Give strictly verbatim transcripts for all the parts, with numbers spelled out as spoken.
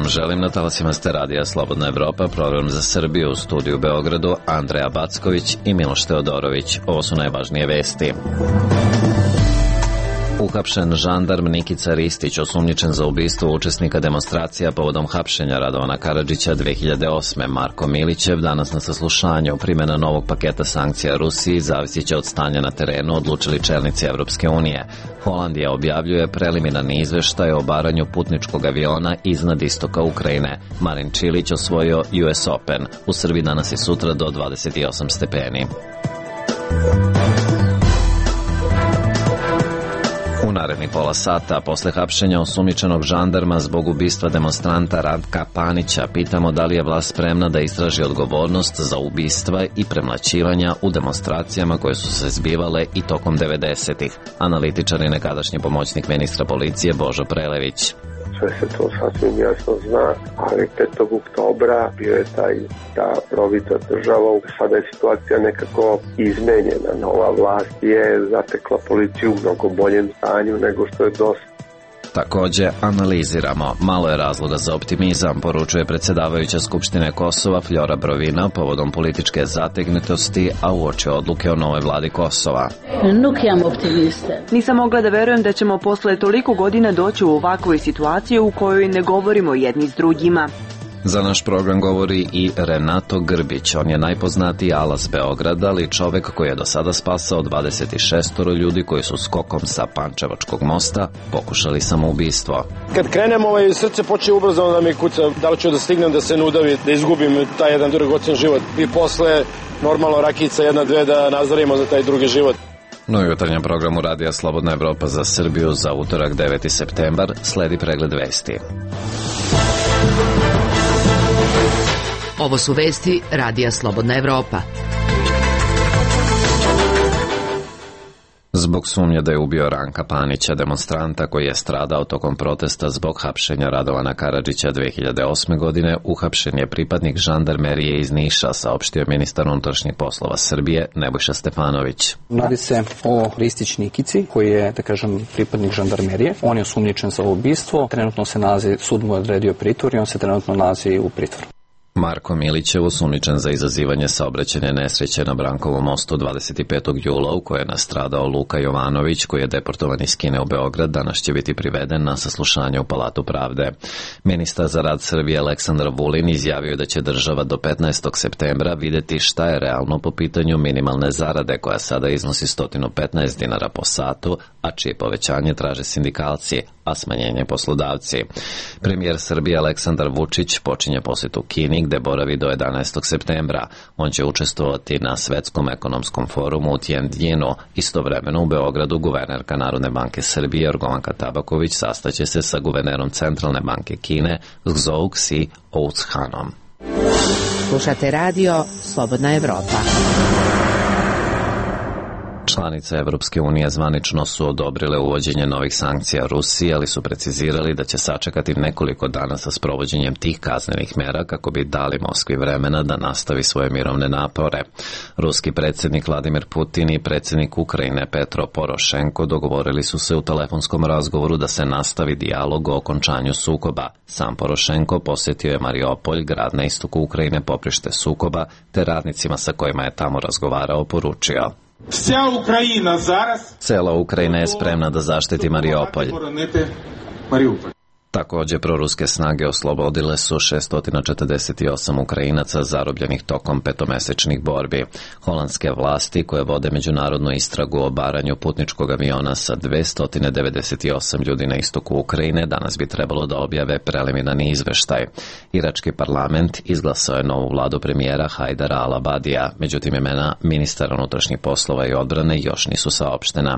Želim na talasima ste radija Slobodna Evropa, program za Srbiju, u studiju u Beogradu Andreja Backović i Miloš Teodorović. Ovo su najvažnije vesti. Uhapšen žandarm Nikica Ristić, osumnjičen za ubistvo učesnika demonstracija povodom hapšenja Radovana Karadžića dve hiljade osme. Marko Milićev danas na saslušanju. Primjena novog paketa sankcija Rusiji zavisit će od stanja na terenu, odlučili čelnici Evropske unije. Holandija objavljuje preliminarni izveštaj o obaranju putničkog aviona iznad istoka Ukrajine. Marin Čilić osvojio U S Open. U Srbiji danas i sutra do dvadeset osam stepeni. U narednih pola sata, posle hapšenja osumnjičenog žandarma zbog ubistva demonstranta Ratka Panića, pitamo da li je vlast spremna da istraži odgovornost za ubistva i premlaćivanja u demonstracijama koje su se zbivale i tokom devedesetih. Analitičar i nekadašnji pomoćnik ministra policije Božo Prelević. Sve se to sasvim jasno zna, ali petog oktobra bio je taj, ta provita država. Sada je situacija nekako izmenjena. Nova vlast je zatekla policiju u mnogo boljem stanju nego što je dosta. Takođe, analiziramo. Malo je razloga za optimizam, poručuje predsjedavajuća Skupštine Kosova Fljora Brovina povodom političke zategnutosti, a uoči odluke o novoj vladi Kosova. Nisam mogla da verujem da ćemo posle toliko godina doći u ovakvu situaciju u kojoj ne govorimo jedni s drugima. Za naš program govori i Renato Grbić. On je najpoznatiji alas Beograda, ali čovek koji je do sada spasao dvadeset šest ljudi koji su skokom sa Pančevačkog mosta pokušali samoubistvo. Kad krenem, ovaj, srce počne ubrzano da mi kuca, da li ću da stignem da se nudavi, da izgubim taj jedan dragocen život. I posle, normalno, rakica jedna, dve da nazarimo za taj drugi život. No i jutarnjem programu Radija Slobodna Evropa za Srbiju za utorak deveti septembar sledi pregled vesti. Ovo su vesti Radija Slobodna Evropa. Zbog sumnje da je ubio Ranka Panića, demonstranta koji je stradao tokom protesta zbog hapšenja Radovana Karadžića dve hiljade osme. godine, uhapšen je pripadnik žandarmerije iz Niša, saopštio ministar unutrašnjih poslova Srbije Nebojša Stefanović. Radi se o Ristić Nikici, koji je, da kažem, pripadnik žandarmerije. On je osumnjičen za ubistvo. Trenutno se nalazi, sud mu je odredio pritvor i on se trenutno nalazi u pritvoru. Marko Milićev, osumnjičen za izazivanje saobraćajne nesreće na Brankovom mostu dvadeset petog jula u kojoj je nastradao Luka Jovanović, koji je deportovan iz Kine u Beograd, danas će biti priveden na saslušanje u Palatu pravde. Ministar za rad Srbije Aleksandar Vulin izjavio da će država do petnaestog septembra videti šta je realno po pitanju minimalne zarade, koja sada iznosi sto petnaest dinara po satu, a čije povećanje traže sindikalci, a smanjenje poslodavci. Premijer Srbije Aleksandar Vučić počinje posjetu Kini, gde boravi do jedanaestog septembra. On će učestvovati na Svetskom ekonomskom forumu u Tianjinu. Istovremeno u Beogradu guvernerka Narodne banke Srbije Jorgovanka Tabaković sastaće se sa guvernerom Centralne banke Kine Zhou Xi Outshanom. Slušate radio Slobodna Evropa. Članice Evropske unije zvanično su odobrile uvođenje novih sankcija Rusiji, ali su precizirali da će sačekati nekoliko dana sa sprovođenjem tih kaznenih mera kako bi dali Moskvi vremena da nastavi svoje mirovne napore. Ruski predsjednik Vladimir Putin i predsjednik Ukrajine Petro Porošenko dogovorili su se u telefonskom razgovoru da se nastavi dijalog o okončanju sukoba. Sam Porošenko posjetio je Mariupolj, grad na istoku Ukrajine, poprište sukoba, te radnicima sa kojima je tamo razgovarao poručio: Cela Ukrajina je spremna da zaštiti Mariupolj. Također, proruske snage oslobodile su šesto četrdeset osam Ukrajinaca zarobljenih tokom petomesečnih borbi. Holandske vlasti, koje vode međunarodnu istragu o obaranju putničkog aviona sa dvesta devedeset osam ljudi na istoku Ukrajine, danas bi trebalo da objave preliminarni izveštaj. Irački parlament izglasao je novu vladu premijera Hajdara al-Abadija, međutim imena ministara unutrašnjih poslova i odbrane još nisu saopštena.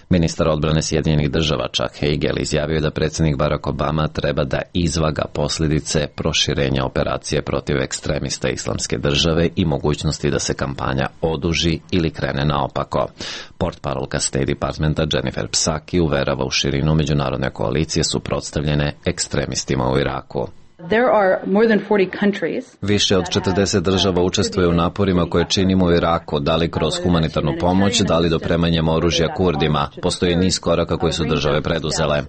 Ministar odbrane Sjedinjenih država Chuck Hagel izjavio da predsjednik Barack Obama treba da izvaga posljedice proširenja operacije protiv ekstremista Islamske države i mogućnosti da se kampanja oduži ili krene naopako. Portparolka State Departmenta Jennifer Psaki uverava u širinu međunarodne koalicije suprotstavljene ekstremistima u Iraku. Više od četrdeset država učestvuje u naporima koje činimo u Iraku, da li kroz humanitarnu pomoć, da li dopremanjem oružja Kurdima. Postoji niz koraka koje su države preduzele.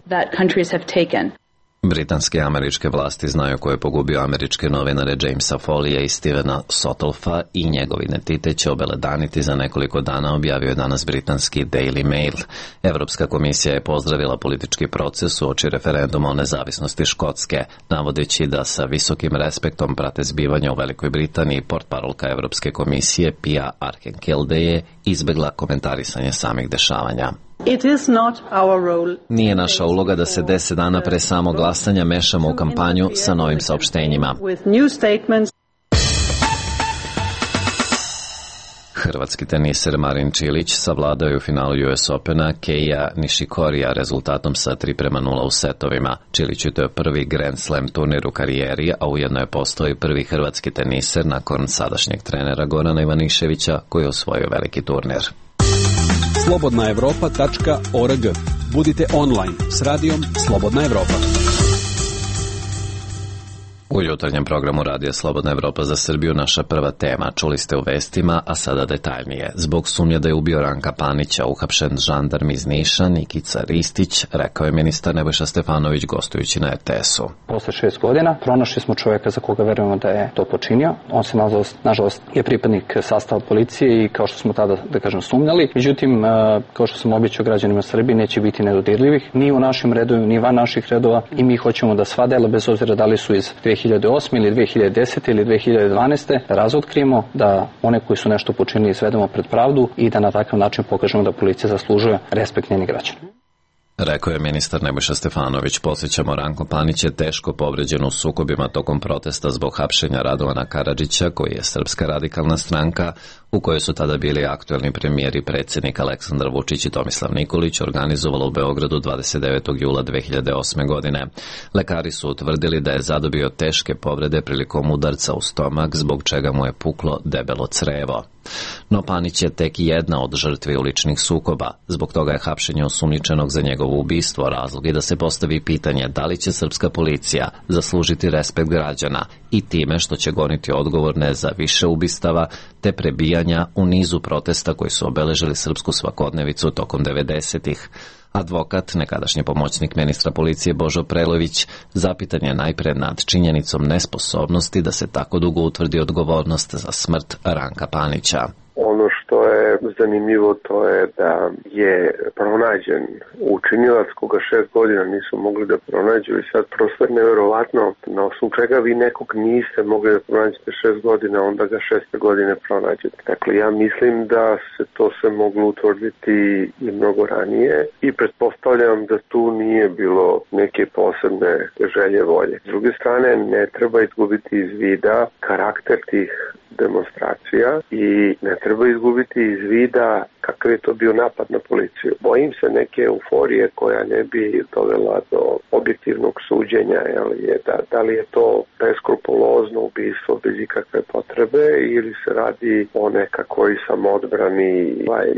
Britanske i američke vlasti znaju ko je pogubio američke novinare Jamesa Folija i Stevena Sotolfa i njegov identitet će obeledaniti za nekoliko dana, objavio je danas britanski Daily Mail. Evropska komisija je pozdravila politički proces uoči referenduma o nezavisnosti Škotske, navodeći da sa visokim respektom prate zbivanja u Velikoj Britaniji. Portparolka Evropske komisije Pia Archangelde je izbegla komentarisanje samih dešavanja. Nije naša uloga da se deset dana pre samog glasanja mešamo u kampanju sa novim saopštenjima. Hrvatski teniser Marin Čilić savladao je u finalu U S Opena Keija Nishikorija rezultatom sa tri prema nula u setovima. Čiliću to je prvi Grand Slam turnir u karijeri, a ujedno je postao i prvi hrvatski teniser nakon sadašnjeg trenera Gorana Ivaniševića koji je osvojio veliki turnir. slobodna evropa tačka org. Budite online s radijom Slobodna Evropa. U jutarnjem programu Radija Slobodna Evropa za Srbiju naša prva tema. Čuli ste u vestima, a sada detaljnije. Zbog sumnje da je ubio Ranka Panića, uhapšen žandarm iz Niša, Nikica Ristić, rekao je ministar Nebojša Stefanović gostujući na R T S-u. Posle šest godina pronašli smo čovjeka za koga verujemo da je to počinio. On se, nažalost, nažalost je pripadnik sastava policije i kao što smo tada, da kažem, sumnjali. Međutim, kao što sam običao građanima Srbije, neće biti nedodirljivih ni u našim redovima, ni van naših redova i mi hoćemo da sva dela, bez obzira da li su iz dve hiljade osme ili dve hiljade desete ili dve hiljade dvanaeste da razotkrijemo, da one koji su nešto počinili izvedemo pred pravdu i da na takav način pokažemo da policija zaslužuje respekt njenih građana. Rekao je ministar Nebojša Stefanović. Podsjećamo, Ranko Panić je teško povređen u sukobima tokom protesta zbog hapšenja Radovana Karadžića, koji je Srpska radikalna stranka, u kojoj su tada bili aktuelni premijer i predsjednik Aleksandar Vučić i Tomislav Nikolić, organizovala u Beogradu dvadeset devetog jula dve hiljade osme. godine. Lekari su utvrdili da je zadobio teške povrede prilikom udarca u stomak, zbog čega mu je puklo debelo crevo. No Panić je tek jedna od žrtvi uličnih sukoba. Zbog toga je hapšenje osumnjičenog za njegovo ubistvo razlog i da se postavi pitanje da li će srpska policija zaslužiti respekt građana i time što će goniti odgovorne za više ubistava te prebijanja u nizu protesta koji su obeležili srpsku svakodnevicu tokom devedesetih. Advokat, nekadašnji pomoćnik ministra policije Božo Prelović, zapitan je najpre nad činjenicom nesposobnosti da se tako dugo utvrdi odgovornost za smrt Ranka Panića. Ono što je zanimljivo to je da je pronađen učinilac koga šest godina nisu mogli da pronađu i sad prosto je nevjerovatno na osnovu čega vi nekog niste mogli da pronađete šest godina, onda ga šeste godine pronađete. Dakle, ja mislim da se to sve moglo utvrditi i mnogo ranije i pretpostavljam da tu nije bilo neke posebne želje volje. S druge strane, ne treba izgubiti iz vida karakter tih demonstracija i ne treba izgubiti iz vida kakav je to bio napad na policiju. Bojim se neke euforije koja ne bi dovela do objektivnog suđenja, jel, je, da, da li je to beskrupulozno ubistvo bez ikakve potrebe ili se radi o nekakvoj samodbrani,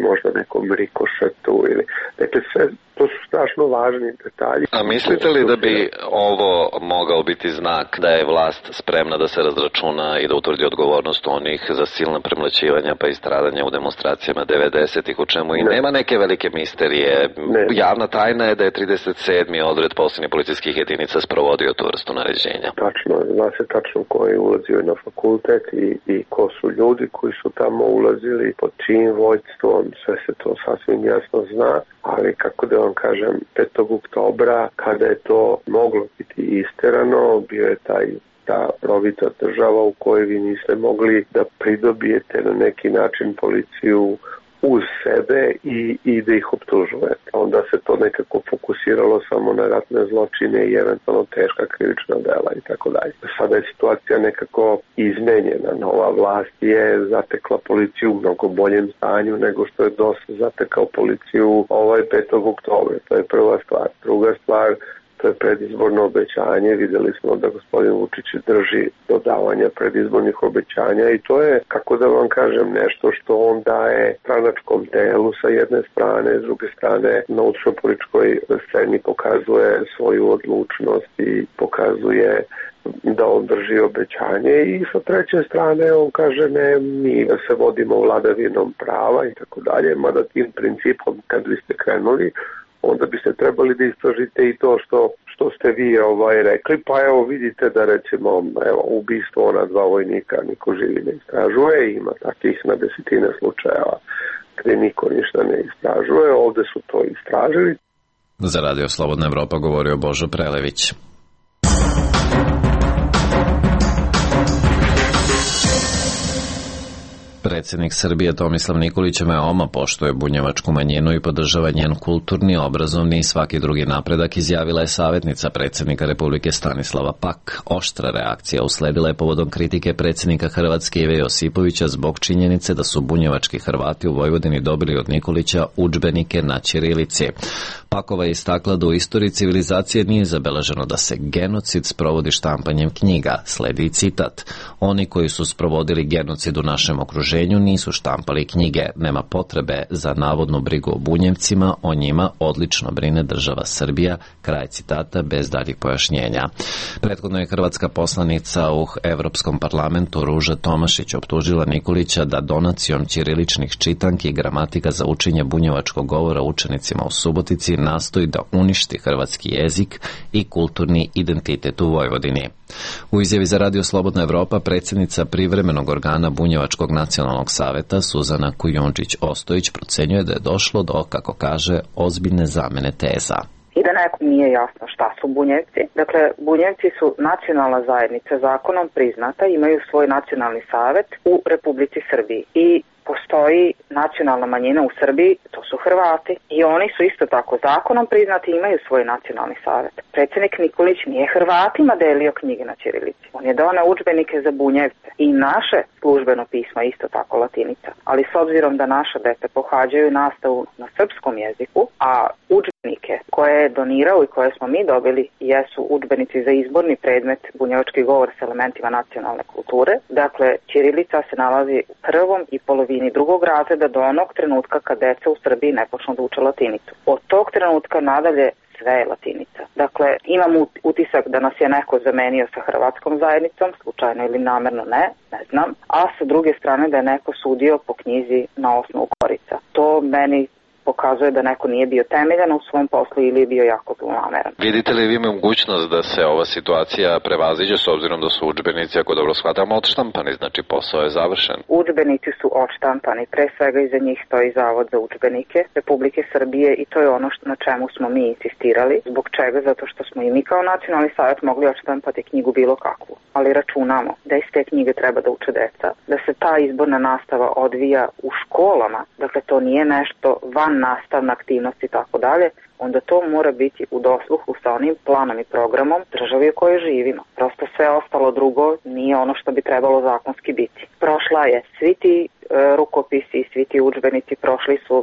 možda nekom rikošetu ili... Dakle, sve to su strašno važni detalji. A mislite li da bi ovo mogao biti znak da je vlast spremna da se razračuna i da utvrdi odgovornost onih za silna premlaćivanja pa i stradanja u demonstracijama devedesetih, u čemu i ne. nema neke velike misterije? Ne. Javna tajna je da je trideset sedmi odred posljednjih policijskih jedinica sprovodio tu vrstu naređenja. Tačno, zna se tačno ko je ulazio na fakultet i, i ko su ljudi koji su tamo ulazili, pod čijim vođstvom, sve se to sasvim jasno zna, ali kako da vam kažem, petog oktobra, kada je to moglo biti isterano, bio je taj ta rovita država u kojoj vi niste mogli da pridobijete na neki način policiju uz sebe i, i da ih optužujete. Onda se to nekako fokusiralo samo na ratne zločine i eventualno teška krivična dela i tako dalje. Sada je situacija nekako izmenjena. Nova vlast je zatekla policiju u mnogo boljem stanju nego što je dosta zatekao policiju ovaj petog oktobra. To je prva stvar. Druga stvar, to je predizborno obećanje. Videli smo da gospodin Vučić drži do davanja predizbornih obećanja i to je, kako da vam kažem, nešto što on daje stranačkom telu sa jedne strane, s druge strane na ulično-političkoj sceni pokazuje svoju odlučnost i pokazuje da on drži obećanje i sa treće strane on kaže ne, mi se vodimo vladavinom prava i tako dalje, mada tim principom kad biste krenuli, onda biste trebali da istražite i to što, što ste vi ovaj, rekli, pa evo vidite da recimo evo, ubistvo ona dva vojnika niko živi ne istražuje, ima takvih na desetine slučajeva gde niko ništa ne istražuje, ovde su to istražili. Za Radio Slobodna Evropa govorio Božo Prelević. Predsjednik Srbije Tomislav Nikolić veoma poštuje bunjevačku manjinu i podržava njen kulturni, obrazovni i svaki drugi napredak, izjavila je savjetnica predsjednika Republike Stanislava Pak. Oštra reakcija usledila je povodom kritike predsjednika Hrvatske Ive Josipovića zbog činjenice da su bunjevački Hrvati u Vojvodini dobili od Nikolića udžbenike na ćirilici. Pakova je istakla da u istoriji civilizacije nije zabeleženo da se genocid sprovodi štampanjem knjiga. Sledi citat. Oni koji su sprovodili genocid u našem okruženju nisu štampali knjige. Nema potrebe za navodnu brigu o Bunjevcima, o njima odlično brine država Srbija. Kraj citata bez daljih pojašnjenja. Prethodno je hrvatska poslanica u Evropskom parlamentu Ruža Tomašić optužila Nikolića da donacijom ćiriličnih čitanki i gramatika za učenje bunjevačkog govora učenicima u Subotici nastoji da uništi hrvatski jezik i kulturni identitet u Vojvodini. U izjavi za Radio Slobodna Evropa predsjednica privremenog organa Bunjevačkog nacionalnog saveta Suzana Kujundžić-Ostojić procenjuje da je došlo do, kako kaže, ozbiljne zamene teza. I da nekom nije jasno šta su Bunjevci. Dakle, Bunjevci su nacionalna zajednica, zakonom priznata, imaju svoj nacionalni savet u Republici Srbiji i postoji nacionalna manjina u Srbiji, to su Hrvati i oni su isto tako zakonom priznati i imaju svoj nacionalni savet. Predsjednik Nikolić nije Hrvatima delio knjige na ćirilici. On je doneo udžbenike za Bunjevce i naše službeno pismo je isto tako latinica. Ali s obzirom da naša deca pohađaju nastavu na srpskom jeziku, a udžbenike koje je donirao i koje smo mi dobili jesu udžbenici za izborni predmet bunjevački govor s elementima nacionalne kulture. Dakle, ćirilica se nalazi u prvom i polovini drugog razreda do onog trenutka kad deca u Srbiji ne počnu da uče latinicu. Od tog trenutka nadalje sve je latinica. Dakle, imam utisak da nas je neko zamenio sa hrvatskom zajednicom, slučajno ili namerno ne, ne znam, a sa druge strane da je neko sudio po knjizi na osnovu korica. To meni pokazuje da neko nije bio temeljan u svom poslu ili je bio jako zlonameran. Vidite li vi mogućnost da se ova situacija prevaziđe s obzirom da su udžbenici, ako dobro shvatamo, odštampani, znači posao je završen? Udžbenici su odštampani, pre svega iza njih stoji Zavod za udžbenike Republike Srbije i to je ono što, na čemu smo mi insistirali. Zbog čega? Zato što smo i mi kao nacionalni savjet mogli odštampati knjigu bilo kakvu, ali računamo da iz te knjige treba da uče deca, da se ta izborna nastava odvija u školama, dakle to nije nešto van nastavna aktivnost i tako dalje, onda to mora biti u dosluhu sa onim planom i programom državi u kojoj živimo. Prosto sve ostalo drugo nije ono što bi trebalo zakonski biti. Prošla je svi ti e, rukopisi i svi ti udžbenici, prošli su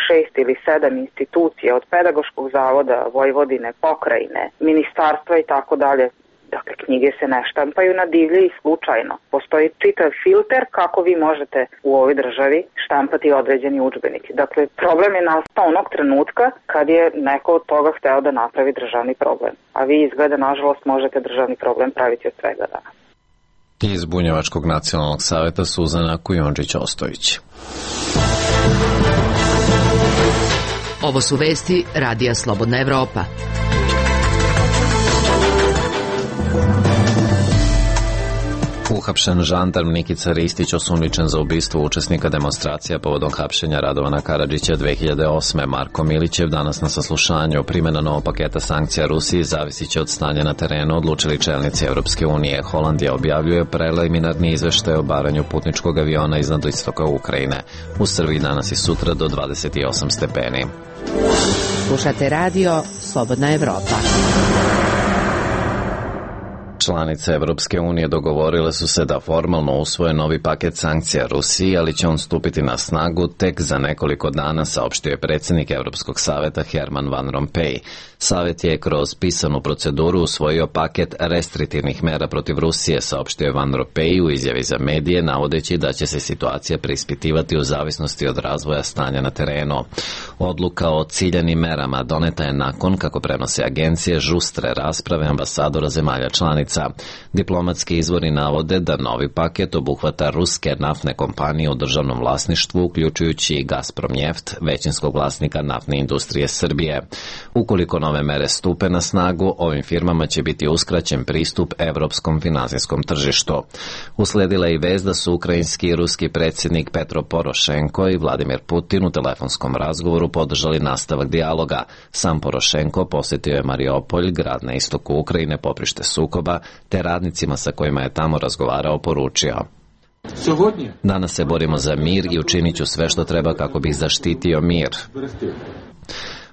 šest ili sedam institucija od Pedagoškog zavoda, Vojvodine, pokrajine, ministarstva i tako dalje. Dakle, knjige se ne štampaju na divlje i slučajno. Postoji čitav filter kako vi možete u ovoj državi štampati određeni udžbenik. Dakle, problem je nastao onog trenutka kad je neko od toga hteo da napravi državni problem. A vi izgleda, nažalost, možete državni problem praviti od svega danas. Iz Bunjevačkog nacionalnog saveta Suzana Kujundžić-Ostojić. Ovo su vesti Radija Slobodna Evropa. Uhapšen žandarm Nikica Ristić osumnjičen za ubistvo učesnika demonstracija povodom hapšenja Radovana Karadžića dve hiljade osme. Marko Milićev danas na saslušanju. Primjena novog paketa sankcija Rusiji zavisit će od stanja na terenu, odlučili čelnici Evropske unije. Holandija objavljuje preliminarni izveštaj o baranju putničkog aviona iznad istoka Ukrajine. U Srbiji danas i sutra do dvadeset osam stepeni. Slušate radio Slobodna Evropa. Članice Evropske unije dogovorile su se da formalno usvoje novi paket sankcija Rusiji, ali će on stupiti na snagu tek za nekoliko dana, saopštio je predsjednik Evropskog saveta Herman Van Rompuy. Savet je kroz pisanu proceduru usvojio paket restriktivnih mera protiv Rusije, saopštio je Van Rompuy u izjavi za medije, navodeći da će se situacija preispitivati u zavisnosti od razvoja stanja na terenu. Odluka o ciljanim merama doneta je nakon, kako prenose agencije, žustre rasprave ambasadora zemalja članica. saveznica. Diplomatski izvori navode da novi paket obuhvata ruske naftne kompanije u državnom vlasništvu, uključujući i Gazpromnjeft, većinskog vlasnika naftne industrije Srbije. Ukoliko nove mere stupe na snagu, ovim firmama će biti uskraćen pristup evropskom finansijskom tržištu. Usledila je i vest da su ukrajinski i ruski predsjednik Petro Porošenko i Vladimir Putin u telefonskom razgovoru podržali nastavak dijaloga. Sam Porošenko posjetio je Mariupolj, grad na istoku Ukrajine, poprište sukoba, te radnicima sa kojima je tamo razgovarao poručio: danas se borimo za mir i učinit ću sve što treba kako bih zaštitio mir.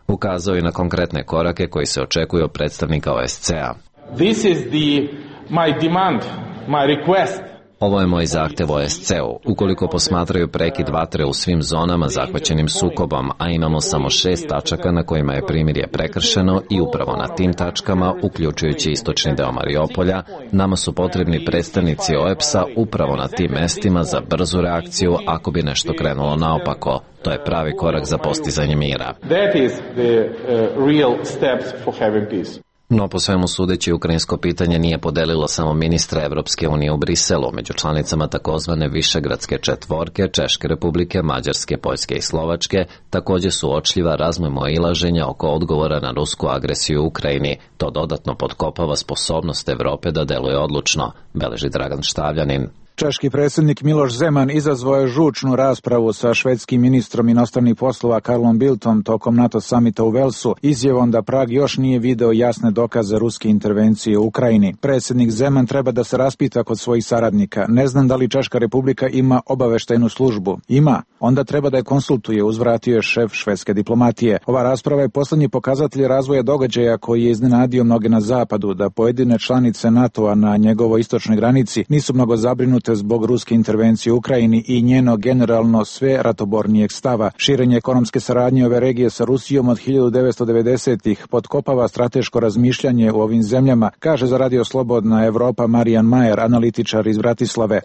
Ukazao je na konkretne korake koji se očekuju od predstavnika O S C-a. This is the, my demand, my request. Ovo je moj zahtev O S C-u. Ukoliko posmatraju prekid vatre u svim zonama zahvaćenim sukobom, a imamo samo šest tačaka na kojima je primirje prekršeno i upravo na tim tačkama, uključujući istočni deo Mariupolja, nama su potrebni predstavnici O E P S-a upravo na tim mestima za brzu reakciju ako bi nešto krenulo naopako. To je pravi korak za postizanje mira. That is the uh, real steps for having peace. No, po svemu sudeći, ukrajinsko pitanje nije podelilo samo ministra Evropske unije u Briselu. Među članicama takozvane Višegradske četvorke, Češke republike, Mađarske, Poljske i Slovačke, također su uočljiva razmimoilaženja oko odgovora na rusku agresiju u Ukrajini. To dodatno potkopava sposobnost Evrope da deluje odlučno, beleži Dragan Štavljanin. Češki predsjednik Miloš Zeman izazvao je žučnu raspravu sa švedskim ministrom inostranih poslova Karlom Bildtom tokom NATO samita u Velsu, izjavom da Prag još nije video jasne dokaze ruske intervencije u Ukrajini. Predsjednik Zeman treba da se raspita kod svojih saradnika. Ne znam da li Češka republika ima obaveštajnu službu. Ima. Onda treba da je konsultuje, uzvratio je šef švedske diplomatije. Ova rasprava je poslednji pokazatelj razvoja događaja koji je iznenadio mnoge na zapadu, da pojedine članice NATO-a na njegovoj istočnoj granici nisu mnogo zabrinute zbog ruske intervencije u Ukrajini i njeno generalno sve ratobornijeg stava. Širenje ekonomske saradnje ove regije sa Rusijom od hiljadu devetsto devedesetih potkopava strateško razmišljanje u ovim zemljama, kaže za Radio Slobodna Evropa Marijan Majer, analitičar iz Bratislave.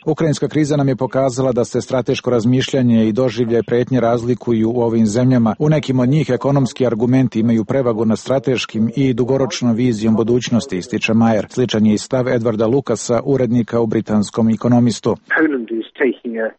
Ukrajinska kriza nam je pokazala da se strateško razmišljanje i doživljaj pretnje razlikuju u ovim zemljama. U nekim od njih ekonomski argumenti imaju prevagu nad strateškim i dugoročnom vizijom budućnosti, ističe Majer. Sličan je i stav Edvarda Lukasa, urednika u britanskom Ekonomistu.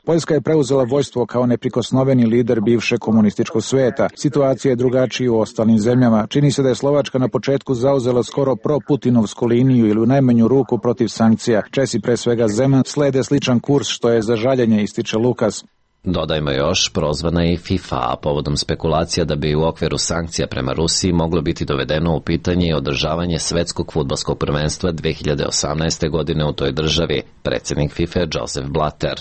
Poljska je preuzela vojstvo kao neprikosnoveni lider bivšeg komunističkog sveta. Situacija je drugačija u ostalim zemljama. Čini se da je Slovačka na početku zauzela skoro pro-putinovsku liniju ili u najmanju ruku protiv sankcija. Česi, pre svega Zeman, slede sličan kurs, što je za žaljenje, ističe Lukas. Dodajmo još, prozvana je i FIFA, a povodom spekulacija da bi u okviru sankcija prema Rusiji moglo biti dovedeno u pitanje i održavanje svetskog fudbalskog prvenstva dve hiljade osamnaeste. godine u toj državi, predsjednik FIFA Joseph Blatter.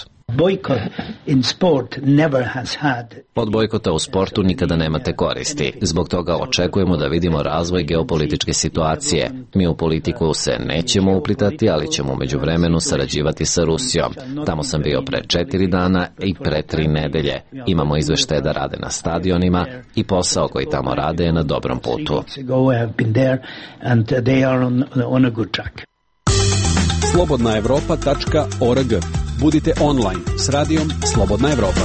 Od bojkota u sportu nikada nemate koristi. Zbog toga očekujemo da vidimo razvoj geopolitičke situacije. Mi u politiku se nećemo uplitati, ali ćemo u međuvremenu sarađivati sa Rusijom. Tamo sam bio pre četiri dana i pre tri nedelje. Imamo izveštaje da rade na stadionima i posao koji tamo rade je na dobrom putu. slobodna evropa tačka org. Budite online s radijom Slobodna Evropa.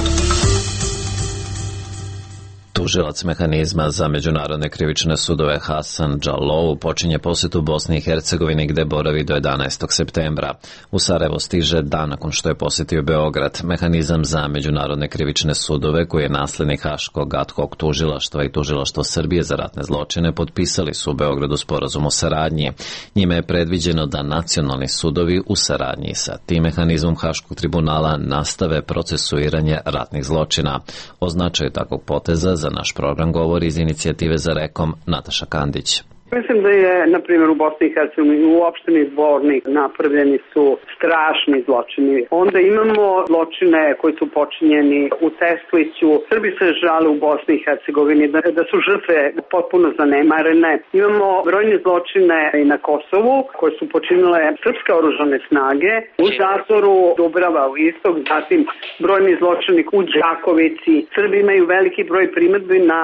Tužilac mehanizma za međunarodne krivične sudove Hasan Džalou počinje posjetu Bosni i Hercegovini gde boravi do jedanaestog septembra. U Sarajevo stiže dan nakon što je posjetio Beograd. Mehanizam za međunarodne krivične sudove, koji je naslednik Haškog ad hoc tužilaštva i tužilaštvo Srbije za ratne zločine, potpisali su u Beogradu sporazum o saradnji. Njime je predviđeno da nacionalni sudovi u saradnji sa tim mehanizmom Haškog tribunala nastave procesuiranje ratnih zločina. O značaju takvog poteza za naš program govori iz inicijative za rekom Nataša Kandić. Mislim da je, na primjer, u Bosni i Hercegovini u opštini Zvornik napravljeni su strašni zločini. Onda imamo zločine koji su počinjeni u Tesliću. Srbi se žale u Bosni i Hercegovini da, da su žrtve potpuno zanemarene. Imamo brojne zločine i na Kosovu koje su počinile srpske oružane snage. U zatvoru Dubrava u istok, zatim brojni zločini u Đakovici. Srbi imaju veliki broj primedbi na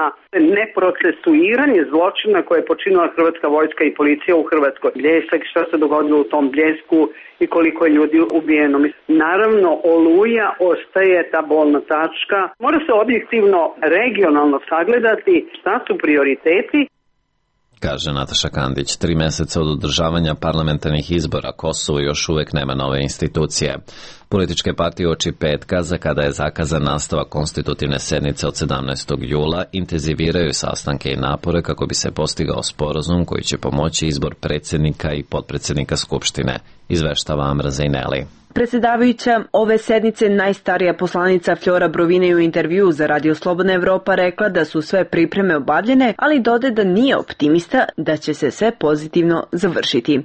neprocesuiranje zločina koje je počinila hrvatska vojska i policija u Hrvatskoj. Bljesak, šta se dogodilo u tom Bljesku i koliko je ljudi ubijeno. Naravno, Oluja ostaje ta bolna tačka. Mora se objektivno, regionalno sagledati šta su prioriteti. kaže Nataša Kandić. Tri meseca od održavanja parlamentarnih izbora Kosovo još uvek nema nove institucije. Političke partije uoči petka, za kada je zakazan nastavak konstitutivne sednice od sedamnaestog jula, intenziviraju sastanke i napore kako bi se postigao sporazum koji će pomoći izbor predsjednika i potpredsjednika Skupštine, izveštava Amra Zejneli. Predsjedavajuća ove sednice najstarija poslanica Flora Brovina je u intervju za Radio Slobodna Evropa rekla da su sve pripreme obavljene, ali dode da nije optimista da će se sve pozitivno završiti.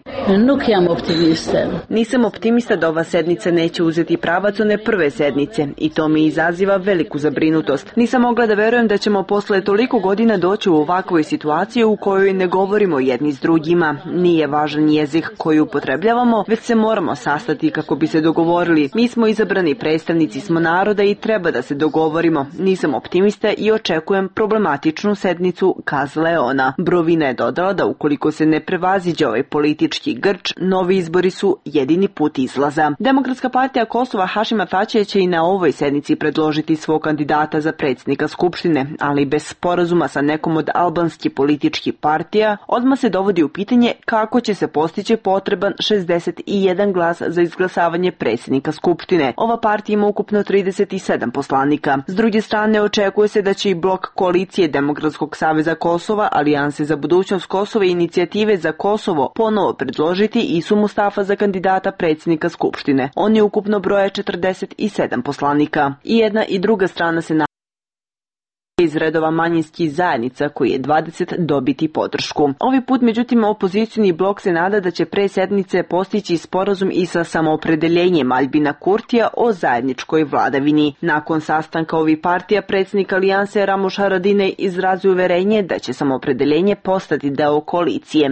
Nisam optimista da ova sednica neće uzeti pravac one prve sednice i to mi izaziva veliku zabrinutost. Nisam mogla da verujem da ćemo posle toliko godina doći u ovakvoj situaciji u kojoj ne govorimo jedni s drugima. Nije važan jezik koji upotrebljavamo, već se moramo sastati kako bi se dogovorili. Mi smo izabrani predstavnici smo naroda i treba da se dogovorimo. Nisam optimista i očekujem problematičnu sednicu, kazala je ona. Brovina je dodala da ukoliko se ne prevaziđe ovaj politički grč, novi izbori su jedini put izlaza. Demokratska partija Kosova Hašima Tačija će i na ovoj sednici predložiti svog kandidata za predsjednika Skupštine, ali bez sporazuma sa nekom od albanskih političkih partija, odmah se dovodi u pitanje kako će se postići potreban šezdeset jedan glas za izglasavanje predsjednika Skupštine. Ova partija ima ukupno trideset sedam poslanika. S druge strane, očekuje se da će i blok koalicije Demokratskog saveza Kosova, Alijanse za budućnost Kosova i Inicijative za Kosovo ponovo predložiti Isu Mustafa za kandidata predsjednika Skupštine. Oni ukupno broje četrdeset sedam poslanika. I jedna i druga strana se na iz redova manjinskih zajednica koji je dvadeset dobiti podršku. Ovi put, međutim, opozicijni blok se nada da će pre sednice postići sporazum i sa samoopredeljenjem Aljbina Kurtija o zajedničkoj vladavini. Nakon sastanka ovih partija, predsjednik Alijanse Ramuš Haradinaj izrazio uverenje da će samoopredeljenje postati deo koalicije.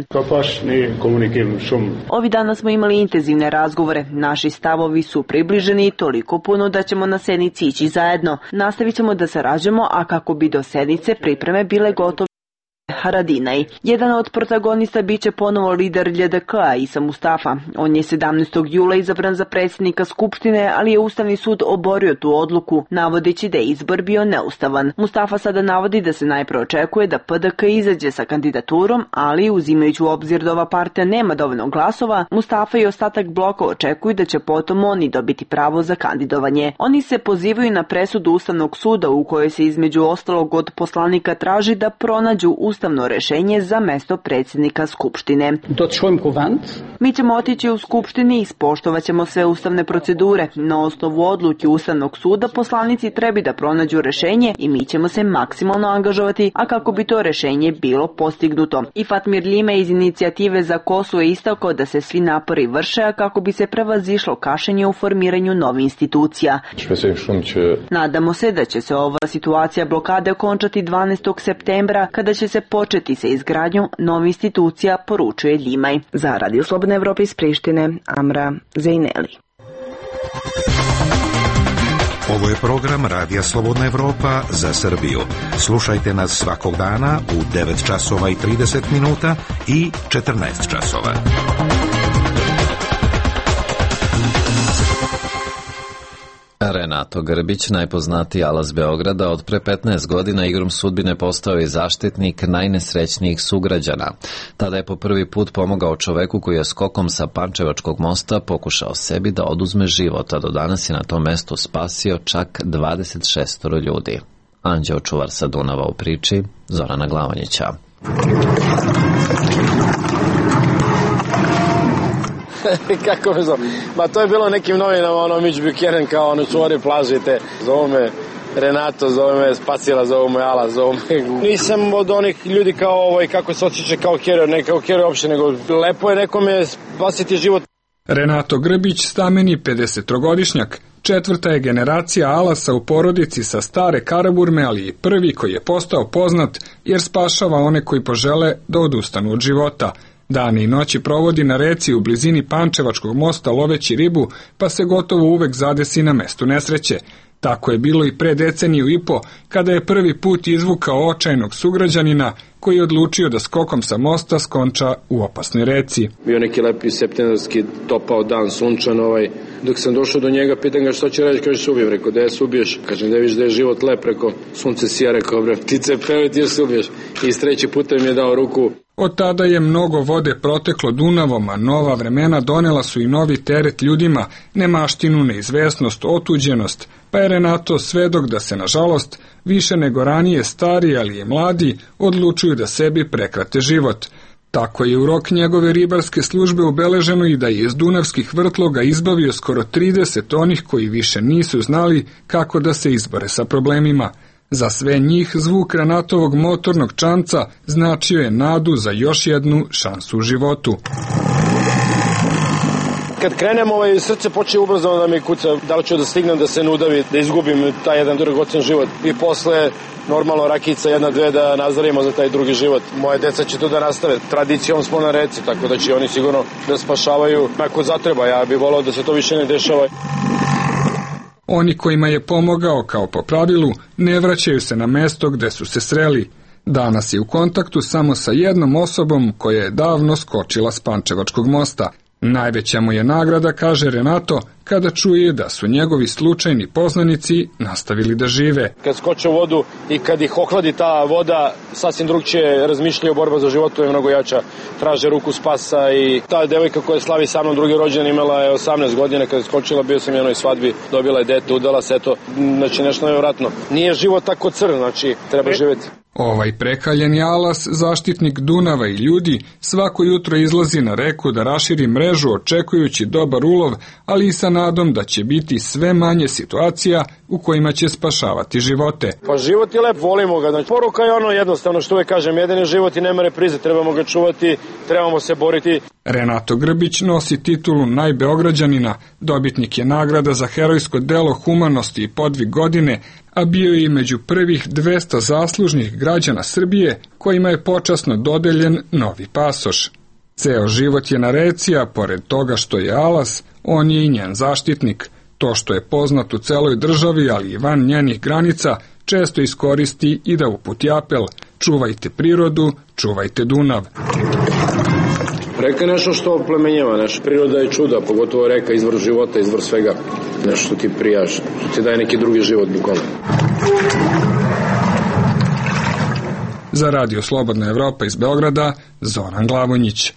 Ovi dana smo imali intenzivne razgovore. Naši stavovi su približeni toliko puno da ćemo na sednici ići zajedno. Nastavit ćemo da sarađujemo, a kako bi do sednice pripreme bile gotove. Haradinaj. Jedan od protagonista biće ponovo lider L D K-a Isa Mustafa. On je sedamnaestog jula izabran za predsjednika Skupštine, ali je Ustavni sud oborio tu odluku, navodeći da je izbor bio neustavan. Mustafa sada navodi da se najpre očekuje da P D K izađe sa kandidaturom, ali uzimajući u obzir da ova partija nema dovoljno glasova, Mustafa i ostatak bloka očekuju da će potom oni dobiti pravo za kandidovanje. Oni se pozivaju na presudu Ustavnog suda u kojoj se između ostalog od poslanika traži da pronađu ustavno rešenje za mesto predsjednika Skupštine. Mi ćemo otići u Skupštini i ispoštovat ćemo sve ustavne procedure. Na osnovu odluke Ustavnog suda poslanici treba da pronađu rešenje i mi ćemo se maksimalno angažovati, a kako bi to rešenje bilo postignuto. I Fatmir Ljime iz Inicijative za Kosovo je istakao da se svi napori vrše, a kako bi se prevazišlo kašenje u formiranju novih institucija. Nadamo se da će se ova situacija blokade okončati dvanaestog septembra, kada će se početi sa izgradnjom novih institucija, poručuje Ljimaj. Za Radio Slobodna Evropa iz Prištine, Amra Zejneli. Ovo je program Radija Slobodna Evropa za Srbiju. Slušajte nas svakog dana u devet časova i trideset minuta i četrnaest časova. Renato Grbić, najpoznatiji Alas Beograda, od pre petnaest godina igrom sudbine postao je zaštitnik najnesrećnijih sugrađana. Tada je po prvi put pomogao čoveku koji je skokom sa Pančevačkog mosta pokušao sebi da oduzme život, a do danas je na tom mestu spasio čak dvadeset šest ljudi. Anđeo čuvar sa Dunava u priči, Zorana Glavonjića. Kako me zove? Ma to je bilo nekim novinama, ono Mitch Buchanan kao ono čuvari plažite. Zovu me Renato, zove me Spacila, zovu me Ala, zovu me... Nisam od onih ljudi kao ovaj, kako se osjeća kao heroj, ne kao heroj uopšte, nego lepo je nekome spasiti život. Renato Grbić, stameni pedesetogodišnjak, četvrta je generacija Alasa u porodici sa stare Karaburme, ali i prvi koji je postao poznat jer spašava one koji požele da odustanu od života. Dane i noći provodi na reci u blizini Pančevačkog mosta loveći ribu, pa se gotovo uvek zadesi na mestu nesreće. Tako je bilo i pre deceniju i po, kada je prvi put izvukao očajnog sugrađanina, koji je odlučio da skokom sa mosta skonča u opasnoj reci. Bio neki lepi septembarski topao dan, sunčan ovaj. Dok sam došao do njega, pitan ga što će reći, kaže se ubijem. Rekao, da je se ubiješ? Kažem, da viš da je život lep, rekao, sunce sija, rekao, bre, ptice peve, ti još se ubiješ. I s treći puta mi je dao ruku. Od tada je mnogo vode proteklo Dunavom, a nova vremena donela su i novi teret ljudima, nemaštinu, neizvesnost, otuđenost, pa je Renato svedok da se, nažalost, više nego ranije stari, ali i mladi, odlučuju da sebi prekrate život. Tako je u rok njegove ribarske službe ubeleženo i da je iz dunavskih vrtloga izbavio skoro trideset onih koji više nisu znali kako da se izbore sa problemima. Za sve njih zvuk Renatovog motornog čamca značio je nadu za još jednu šansu u životu. Kad krenem, ovaj, srce počne ubrzano da mi kuca, da li ću da stignem da se nudavi, da izgubim taj jedan dragocen život. I posle, normalno, rakica jedna, dve da nazarimo za taj drugi život. Moje deca će to da nastave. Tradicijom smo na reci, tako da će oni sigurno da spašavaju ako zatreba. Ja bih volao da se to više ne dešava. Oni kojima je pomogao kao po pravilu ne vraćaju se na mesto gde su se sreli. Danas je u kontaktu samo sa jednom osobom koja je davno skočila s Pančevačkog mosta. Najveća mu je nagrada, kaže Renato, kada čuje da su njegovi slučajni poznanici nastavili da žive. Kad skoče u vodu i kad ih ohladi ta voda, sasvim drugčije razmišljaju, borba za životu je mnogo jača. Traže ruku spasa i ta devojka koja slavi sa mnom drugi rođendan imala je osamnaest godina, kada je skočila, bio sam u jednoj svadbi, dobila je dete, udala se, eto, znači nešto nevjerojatno. Nije život tako crn, znači treba živjeti. Ovaj prekaljeni alas, zaštitnik Dunava i ljudi, svako jutro izlazi na reku da raširi mrežu očekujući dobar ulov, ali i sa nadom da će biti sve manje situacija u kojima će spašavati živote. Pa život je lep, volimo ga. Znači, poruka je ono jednostavno što uvek kažem, jedan je život i nema reprize, trebamo ga čuvati, trebamo se boriti. Renato Grbić nosi titulu najbeograđanina, dobitnik je nagrada za herojsko delo humanosti i podvig godine, a bio je i među prvih dvesta zaslužnih građana Srbije kojima je počasno dodeljen novi pasoš. Ceo život je na reci, a pored toga što je alas, on je i njen zaštitnik. To što je poznat u celoj državi, ali i van njenih granica, često iskoristi i da uputi apel: čuvajte prirodu, čuvajte Dunav. Reka je nešto što oplemenjava, naša priroda je čuda, pogotovo reka, izvor života, izvor svega. Nešto što ti prijaš, što ti daje neki drugi život, bukvalno. Za Radio Slobodna Evropa iz Beograda, Zoran Glavonjić.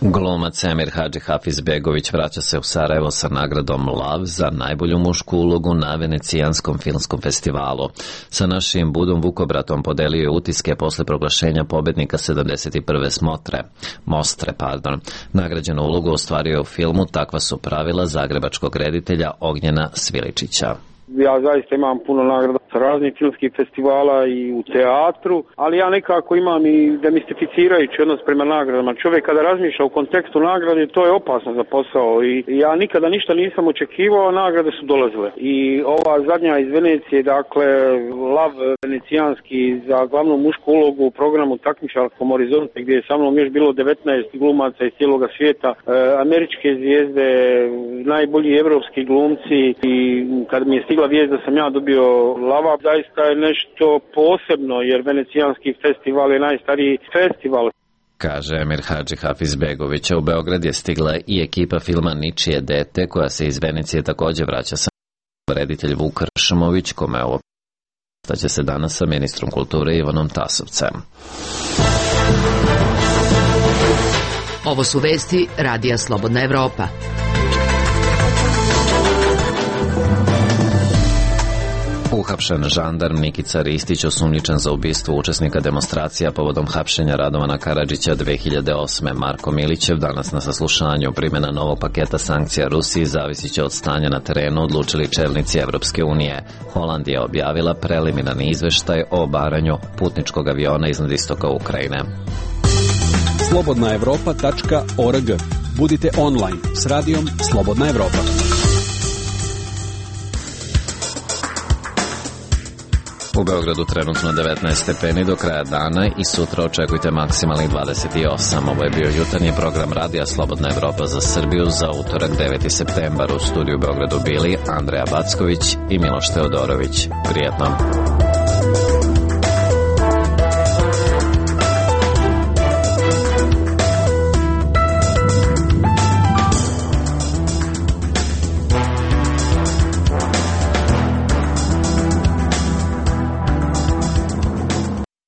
Glumac Emir Hadžihafizbegović vraća se u Sarajevo sa nagradom Lav za najbolju mušku ulogu na Venecijanskom filmskom festivalu. Sa našim Budom Vukobratom podelio je utiske posle proglašenja pobednika sedamdeset prve smotre. Mostre, pardon. Nagrađenu ulogu ostvario u filmu Takva su pravila zagrebačkog reditelja Ognjena Sviličića. Ja zaista imam puno nagrada sa raznih filmskih festivala i u teatru, ali ja nekako imam i demistificirajući odnos prema nagradama. Čovjek kada razmišlja u kontekstu nagrade, to je opasno za posao i ja nikada ništa nisam očekivao, nagrade su dolazile. I ova zadnja iz Venecije, dakle, Lav venecijanski za glavnu mušku ulogu u programu Takmičarskom horizonte, gdje je sa mnom još bilo devetnaest glumaca iz cijeloga svijeta, e, američke zvijezde, najbolji evropski glumci, i kad mi je stigla vijest da sam ja dobio Lava, zaista je nešto posebno, jer Venecijanski festival je najstariji festival. Kaže Emir Hadžihafizbegović. U Beograd je stigla i ekipa filma Ničije dete, koja se iz Venecije takođe vraća sa reditelj Vuk Ršmović, kome ovo staće se danas sa ministrom kulture Ivanom Tasovcem. Ovo su vesti Radija Slobodna Evropa. Uhapšen žandarm Nikica Ristić, osumnjičen za ubistvo učesnika demonstracija povodom hapšenja Radovana Karadžića dve hiljade osme. Marko Milićev danas na saslušanju. Primjena novog paketa sankcija Rusiji zavisit će od stanja na terenu, odlučili čelnici Evropske unije. Holandija objavila preliminarni izveštaj o obaranju putničkog aviona iznad istoka Ukrajine. slobodna evropa tačka org. Budite online s radijom Slobodna Evropa. U Beogradu trenutno devetnaest stepeni do kraja dana i sutra očekujte maksimalnih dvadeset osam. Ovo je bio jutarnji program Radija Slobodna Evropa za Srbiju za utorak deveti septembar. U studiju u Beogradu bili Andreja Backović i Miloš Teodorović. Prijetno.